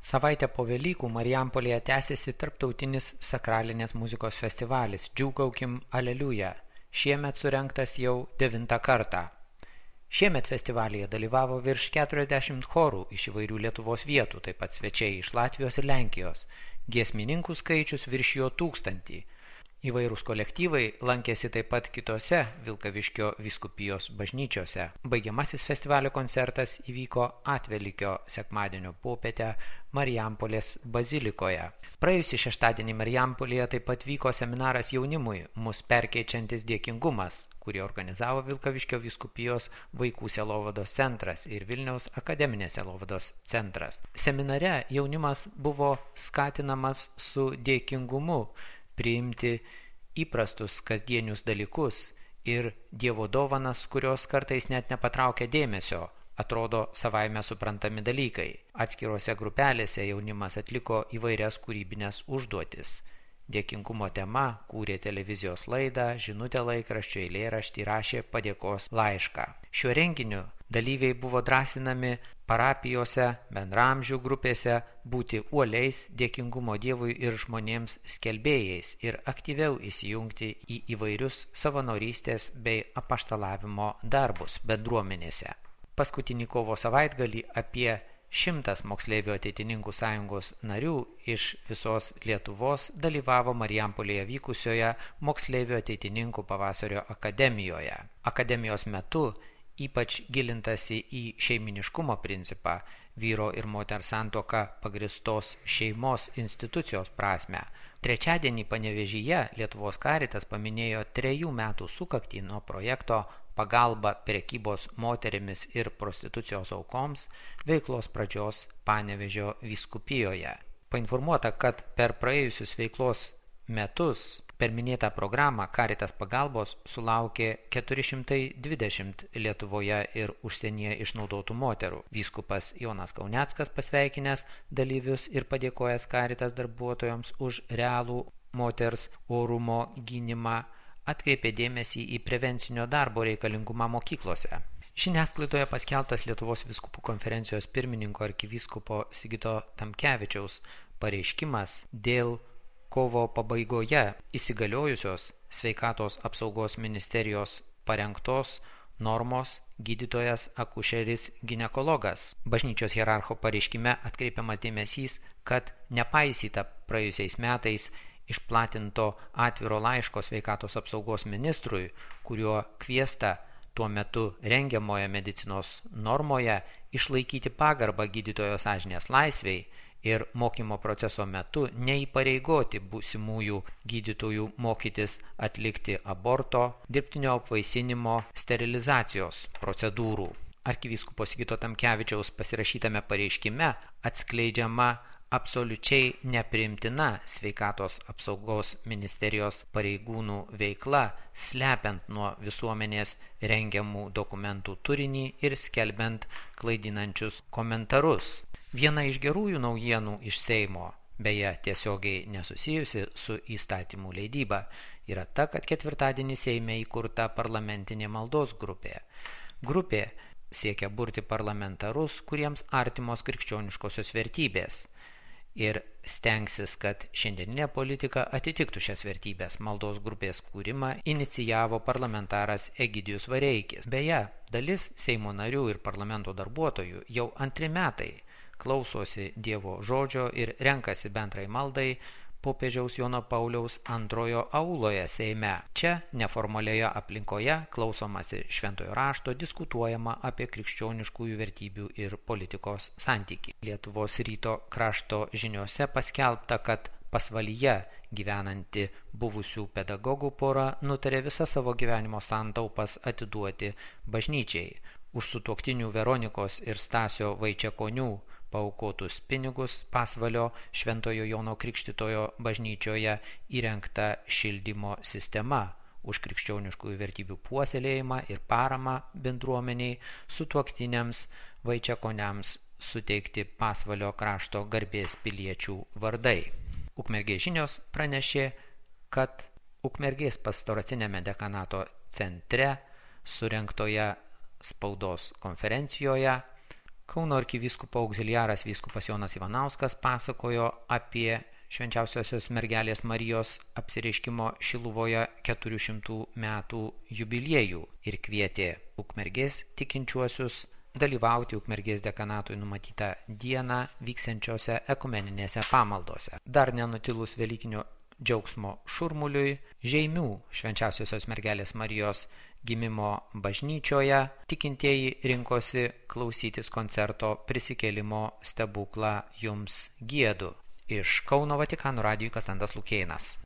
Savaitę po Velykų Marijampolėje tęsiasi tarptautinis sakralinės muzikos festivalis Džiūgaukim Aleliuja. Šiemet surengtas jau 9 kartą. Šiemet festivalyje dalyvavo virš 40 chorų iš įvairių Lietuvos vietų, taip pat svečiai iš Latvijos ir Lenkijos. Giesmininkų skaičius viršijo 1000. Įvairūs kolektyvai lankėsi taip pat kitose Vilkaviškio vyskupijos bažnyčiose. Baigiamasis festivalio koncertas įvyko Atvelykio sekmadienio popietę Marijampolės bazilikoje. Praėjusį šeštadienį Marijampolėje taip pat vyko seminaras jaunimui Mus perkeičiantis dėkingumas, kurį organizavo Vilkaviškio vyskupijos vaikų sielovados centras ir Vilniaus akademinės sielovados centras. Seminare jaunimas buvo skatinamas su dėkingumu priimti įprastus kasdienius dalykus ir Dievo dovanas, kurios kartais net nepatraukia dėmesio, atrodo savaime suprantami dalykai. Atskirose grupelėse jaunimas atliko įvairias kūrybinės užduotis. Dėkingumo tema kūrė televizijos laidą, žinutę laikraščio, eilėraštį, rašė padėkos laišką. Šiuo renginiu dalyviai buvo drąsinami parapijose, bendramžių grupėse būti uoliais dėkingumo Dievui ir žmonėms skelbėjais ir aktyviau įsijungti į įvairius savanorystės bei apaštalavimo darbus bendruomenėse. Paskutinį kovo savaitgalį apie 100 moksleivių ateitininkų sąjungos narių iš visos Lietuvos dalyvavo Marijampolėje vykusioje moksleivių ateitininkų pavasario akademijoje. Akademijos metu ypač gilintasi į šeiminiškumo principą, vyro ir moters santuoką pagristos šeimos institucijos prasmę. Trečiadienį Panevėžyje Lietuvos Karitas paminėjo 3 metų sukaktį nuo projekto Pagalba prekybos moterimis ir prostitucijos aukoms veiklos pradžios Panevėžio vyskupijoje. Painformuota, kad per praėjusius veiklos metus per minėtą programą Karitas pagalbos sulaukė 420 Lietuvoje ir užsienyje išnaudotų moterų. Vyskupas Jonas Kauneckas pasveikinęs dalyvius ir padėkojęs Karitas darbuotojams už realų moters orumo gynimą atkreipė dėmesį į prevencinio darbo reikalingumą mokyklose. Žiniasklaidoje paskelbtas Lietuvos vyskupų konferencijos pirmininko arkivyskupo Sigito Tamkevičiaus pareiškimas dėl kovo pabaigoje įsigaliojusios Sveikatos apsaugos ministerijos parengtos normos gydytojas akušeris ginekologas. Bažnyčios hierarcho pareiškime atkreipiamas dėmesys, kad nepaisyta praėjusiais metais išplatinto atviro laiško Sveikatos apsaugos ministrui, kuriuo kviesta tuo metu rengiamoje medicinos normoje išlaikyti pagarbą gydytojo sąžinės laisvei ir mokymo proceso metu neįpareigoti būsimųjų gydytojų mokytis atlikti aborto, dirbtinio apvaisinimo, sterilizacijos procedūrų. Arkivyskupo Sigito Tamkevičiaus pasirašytame pareiškime atskleidžiama absoliučiai nepriimtina Sveikatos apsaugos ministerijos pareigūnų veikla, slepiant nuo visuomenės rengiamų dokumentų turinį ir skelbiant klaidinančius komentarus. Viena iš gerųjų naujienų iš Seimo, beje tiesiogiai nesusijusi su įstatymų leidyba, yra ta, kad ketvirtadienį Seime įkurta parlamentinė maldos grupė. Grupė siekia burti parlamentarus, kuriems artimos krikščioniškosios vertybės ir stengsis, kad šiandieninė politika atitiktų šias vertybės. Maldos grupės kūrimą inicijavo parlamentaras Egidijus Vareikis. Beje, dalis Seimo narių ir parlamento darbuotojų jau 2 metai klausosi Dievo žodžio ir renkasi bendrai maldai popiežiaus Jono Pauliaus II auloje Seime. Čia neformalioje aplinkoje klausomasi šventojo rašto, diskutuojama apie krikščioniškųjų vertybių ir politikos santykį. Lietuvos ryto krašto žiniose paskelbta, kad Pasvalyje gyvenanti buvusių pedagogų pora nutarė visą savo gyvenimo santaupas atiduoti bažnyčiai. Už sutuoktinių Veronikos ir Stasio Vaičiakonių paaukotus pinigus Pasvalio Šventojo Jono Krikštytojo bažnyčioje įrengta šildymo sistema. Už krikščioniškųjų vertybių puoselėjimą ir paramą bendruomeniai sutuoktiniams Vaičiakoniams suteikti Pasvalio krašto garbės piliečių vardai. Ukmergės žinios pranešė, kad Ukmergės pastoracinėme dekanato centre surengtoje spaudos konferencijoje Kauno arkivyskupo auxiliaras vyskupas Jonas Ivanauskas pasakojo apie Švenčiausiosios mergelės Marijos apsireiškimo Šiluvoje 400 metų jubiliejų ir kvietė Ukmergės tikinčiuosius dalyvauti Ukmergės dekanatui numatytą dieną vyksiančiose ekumeninėse pamaldose. Dar nenutilus velykinio džiaugsmo šurmuliui, Žeimių Švenčiausiosios mergelės Marijos gimimo bažnyčioje tikintieji rinkosi klausytis koncerto Prisikėlimo stebuklą jums giedu. Iš Kauno Vatikano radijui Kastantas Lukėnas.